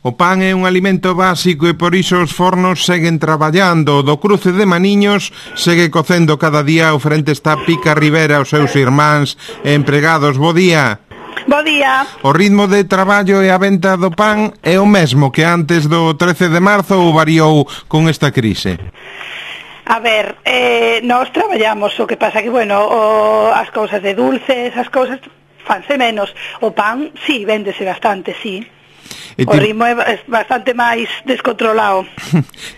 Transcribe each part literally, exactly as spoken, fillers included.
O pan é un alimento básico e por iso os fornos seguen traballando. Do Cruce de Maniños segue cocendo cada día. O frente está Pica Rivera, os seus irmáns e empregados. Bo día. Bo día. O ritmo de traballo e a venta do pan é o mesmo que antes do trece de marzo ou variou con esta crise? A ver, eh, nós traballamos, o que pasa que, bueno, o, as cousas de dulces, as cousas fanse menos. O pan, sí, véndese bastante, sí. Ti... O ritmo é bastante máis descontrolado.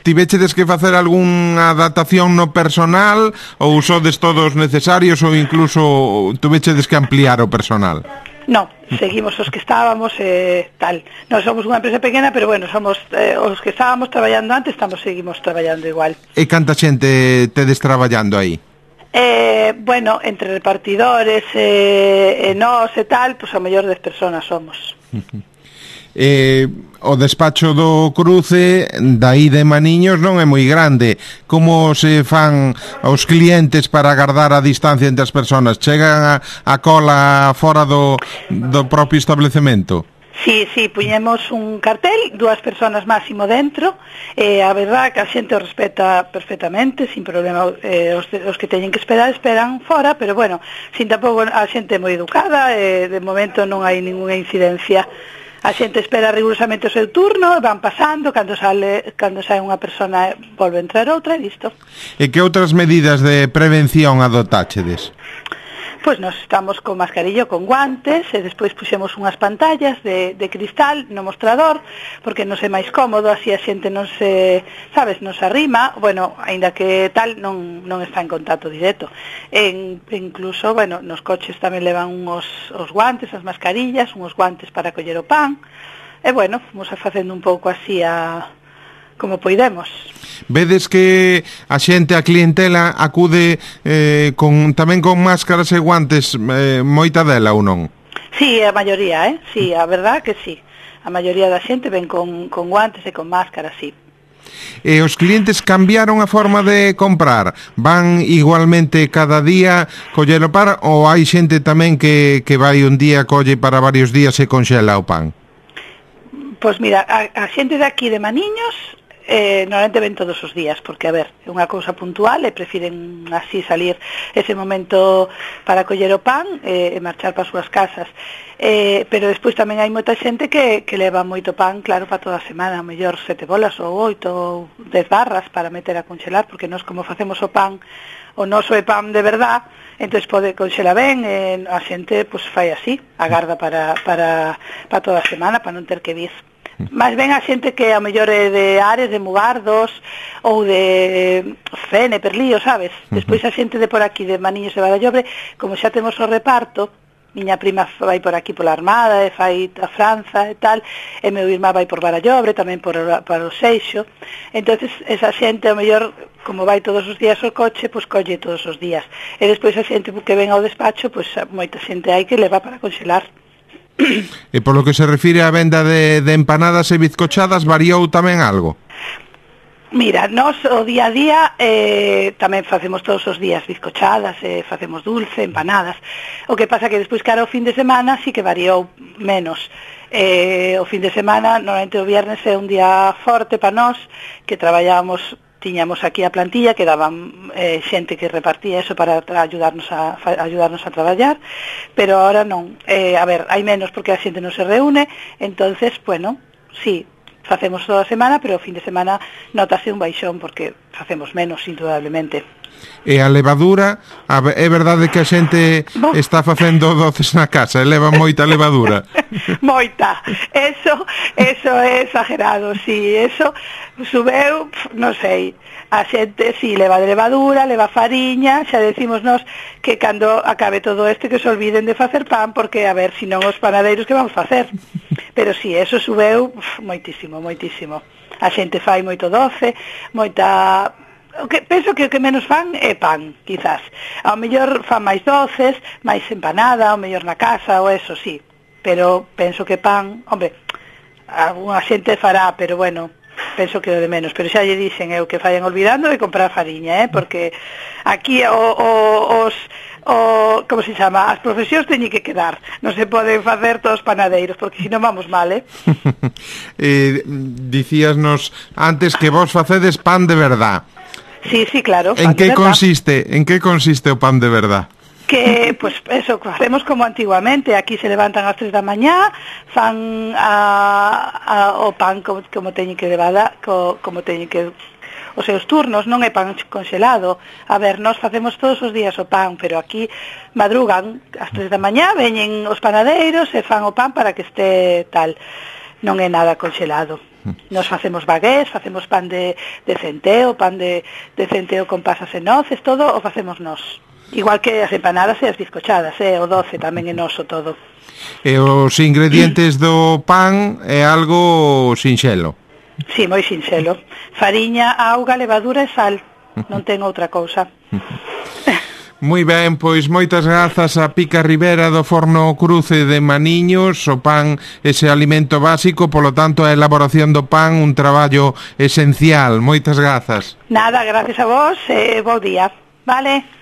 Tivechedes que facer algunha adaptación no personal ou sodes todos necesarios ou incluso tuvechedes que ampliar o personal? No, seguimos os que estábamos e eh, tal. Non somos unha empresa pequena, pero bueno, somos eh, os que estábamos traballando antes, estamos seguimos traballando igual. E canta xente tedes traballando aí? Eh, bueno, entre repartidores e eh, eh, nós e tal, pois pues, a mellor dez personas somos. Eh, o despacho do Cruce dai de Maniños non é moi grande. Como se fan os clientes para agardar a distancia entre as persoas? Chegan a, a cola fora do, do propio establecemento? Sí, sí, puñemos un cartel, dúas persoas máximo dentro, e eh, a verdad que a xente o respeta perfectamente, sin problema. eh, os, os que teñen que esperar, esperan fora, pero bueno, sin tampouco a xente moi educada, e eh, de momento non hai ninguna incidencia. A xente espera rigurosamente o seu turno, van pasando, cando sale cando sae unha persona volve a entrar outra e listo. E que outras medidas de prevención adotáchedes? Pois nos estamos con mascarillo, con guantes, e despois puxemos unhas pantallas de, de cristal no mostrador, porque non é máis cómodo, así a xente non se, sabes, non se arrima, bueno, aínda que tal, non, non está en contacto directo. En, incluso, bueno, nos coches tamén levan uns os guantes, as mascarillas, uns guantes para coller o pan, e bueno, vamos a facendo un pouco así a... como poidemos. Vedes que a xente, a clientela acude eh, con tamén con máscaras e guantes, eh, moita dela ou non? Sí, a maioría, eh? Sí, a verdad que sí. A maioría da xente ven con, con guantes e con máscaras, sí. E os clientes cambiaron a forma de comprar? Van igualmente cada día coller o pan ou hai xente tamén que, que vai un día, colle para varios días e conxela o pan? Pois mira, a, a xente de aquí de Maniños Eh, normalmente ven todos os días, porque, a ver, é unha cousa puntual e prefiren así salir ese momento para coller o pan e, e marchar para as súas casas. Eh, pero despois tamén hai moita xente que, que leva moito pan, claro, para toda a semana, a mellor sete bolas ou oito ou dez barras para meter a congelar, porque nós como facemos o pan, o noso é pan de verdad, entón pode conxela ben, e a xente pues, fai así, agarda para, para, para toda a semana, para non ter que vir. Mas ben a xente que a mellor é de Ares, de Mugardos ou de Fene, Perlío, sabes? Despois a xente de por aquí, de Maniños e Barallobre, como xa temos o reparto, miña prima vai por aquí pola Armada e fai a Franza e tal, e meu irmá vai por Barallobre, tamén por, para o Seixo. Entonces esa xente a mellor, como vai todos os días o coche, pois colle todos os días. E despois a xente que ven ao despacho, pois moita xente hai que leva para conxelar. E polo que se refire á venda de, de empanadas e bizcochadas, variou tamén algo? Mira, nós o día a día eh, tamén facemos todos os días bizcochadas, eh, facemos dulce, empanadas. O que pasa que despois cara ao fin de semana sí que variou menos. Eh, o fin de semana, normalmente o viernes é un día forte para nós, que traballábamos, tiñamos aquí a plantilla que daban eh, xente que repartía eso para ayudarnos a, a ayudarnos a traballar, pero ahora non. Eh, a ver, hai menos porque a xente non se reúne, entonces, bueno, sí, facemos toda a semana, pero o fin de semana notase un baixón porque facemos menos, indudablemente. E a levadura, a, é verdade que a xente no. está facendo doces na casa e leva moita levadura? Moita, eso, eso é exagerado, sí, eso subeu, non sei, a xente si sí, leva de levadura, leva fariña, xa decimos nós que cando acabe todo este que se olviden de facer pan, porque a ver, senón os panadeiros que vamos facer, pero si, sí, eso subeu uf, moitísimo, moitísimo, a xente fai moito doce, moita... O que penso que o que menos fan é pan, quizás. Ao mellor fan máis doces, máis empanada, ao mellor na casa, ou eso, sí. Pero penso que pan, hombre, alguna xente fará, pero bueno, penso que o de menos, pero xa lle dixen eu que fallen olvidando de comprar fariña, eh, porque aquí o, o, os o, como se chama, as profesións teñen que quedar, non se poden facer todos panadeiros, porque senón vamos mal, eh. eh dicíasnos antes que vos facedes pan de verdad. Sí, sí, claro. En que consiste, en que consiste o pan de verdad? Que, pues, eso, hacemos como antiguamente, aquí se levantan ás tres da mañá, fan a, a, o pan como, como teñen que levar, co, como teñen que os seus turnos, non é pan conxelado. A ver, nós facemos todos os días o pan, pero aquí madrugan ás tres da mañá, veñen os panadeiros e fan o pan para que este tal. Non é nada conxelado. Nos facemos bagués, facemos pan de, de centeo, pan de, de centeo con pasas e noces, todo o facemos nós. Igual que as empanadas e as bizcochadas, eh, o doce tamén é noso todo. E os ingredientes do pan é algo sinxelo? Sí, moi sinxelo. Fariña, auga, levadura e sal. Non ten outra cousa. Moi ben, pois moitas grazas a Pica Rivera do Forno Cruce de Maniños. O pan, ese alimento básico, polo tanto a elaboración do pan un traballo esencial. Moitas grazas. Nada, gracias a vos e bo día. Vale.